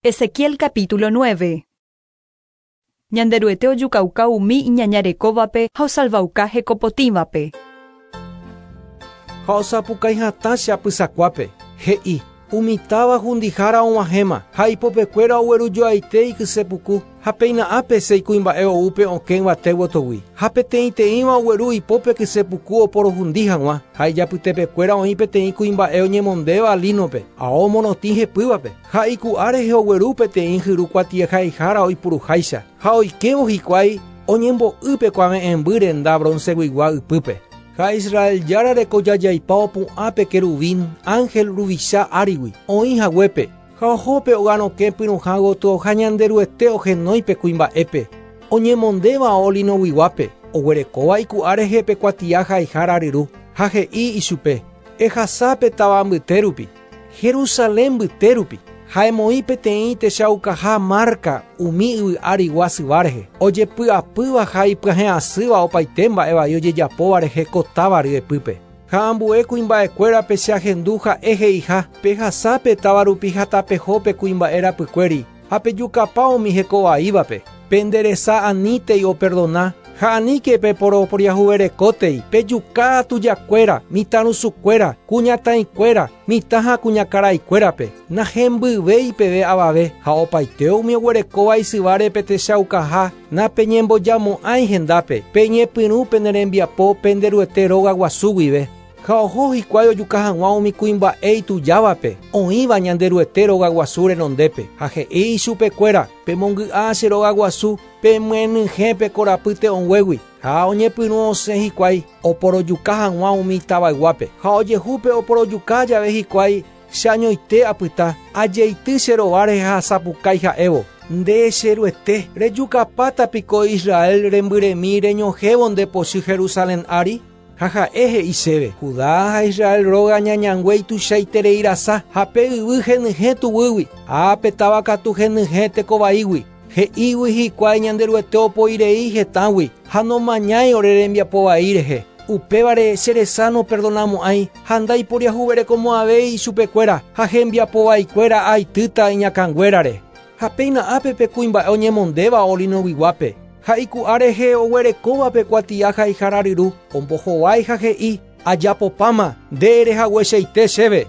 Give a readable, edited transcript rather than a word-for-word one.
Ezequiel capítulo 9. Ñanderuete ojukauka umi iñañarekóvape ha osalvauka hekopotĩvape. Ha osapukái hatã che apysakuápe, he'i, Umi táva hundihára og̃uahẽma, ha ipopekuéra oguerujoaite ikyse puku, ha péina ápe sei kuimba'e ou pe okẽ yvate gotogui. Ha peteĩteĩva ogueru ipópe kyse puku oporohundi hag̃ua, ha ijapytepekuéra oĩ peteĩ kuimba'e oñemondéva línope, ao morotĩ hepývape, ha iku'a rehe ogueru peteĩ hyru kuatiahaihára oipuruháicha, ha oikévo hikuái oñembo'y pe kuave'ẽmby renda bronceguigua ypýpe. Ha Israel Jára rekojajaipa opu'ã pe querubín, ángel ruvicha árigui, oĩ haguépe, ha oho pe ogarokẽ pyrũha gotyo ha Ñanderuete ohenói pe kuimba'épe, oñemondéva ao linoguiguápe, oguerekóva iku'a rehe pe kuatia haihára ryru, ha he'i ichupe, Ehasa pe táva mbyte rupi, Jerusalén mbyte rupi, ha emoĩ peteĩ techaukaha márka umi yvy árigua syva rehe, ojepy'apýva ha ipyahẽ asýva opaite mba'e vai ojejapóva rehe ko táva ryepýpe. Ha ambue kuimba'ekuérape che ahendu ha'e he'iha, Pehasa pe táva rupi ha tapeho pe kuimba'e rapykuéri, ha pejukapa umi heko vaívape. Pende resa anítei operdona, ha aníke peporoporiahuverekótei, pejuka tujakuéra, mitãrusukuéra, kuñataĩkuéra, mitã ha kuñakaraikuérape, nahembyvéi peve avave, ha opaite umi oguerekóva isyváre pe techaukaha, napeñembojamo'ãi hendápe, peñepyrũ pene rembiapo pende Ruete róga guasu guive. Ha oho hikuái ojuka hag̃ua umi kuimba'e itujávape, oĩva Ñanderuete rogaguasu renondépe, ha he'i ichupekuéra, Pemongy'a che rogaguasu, pemyenyhẽ pe korapy te'õnguégui. Ha oñepyrũ osẽ hikuái oporojuka hag̃ua umi tavayguápe. Ha ojehu pe oporojuka jave hikuái, che añoite apyta, ajeity che rova rehe ha asapukái ha'évo, Nde, che Ruete, rejukapáta piko Israel rembyremi reñohẽvo nde pochy Jerusalén ári? Ha ha'e he'i chéve, Judá ha Israel róga ñañangue ituichaiterei rasa, ha pe yvy henyhẽ tuguýgui, ha pe táva katu henyhẽ teko vaígui. He'ígui hikuái Ñanderuete opoi rei hetãgui, ha nomañái ore rembiapo vai rehe. Upévare che resa noperdonamo'ãi ha ndaiporiahuverekomo'ãvéi ichupekuéra, ha hembiapo vaikuéra aitýta iñakãnguérare. Ha péina ápe pe kuimba'e oñemondéva olinoguiguápe, ha iku'a rehe oguerekóva pe kuatia haihára ryru, ombohovái ha he'i, Ajapopáma, nde ere hagueichaite chéve.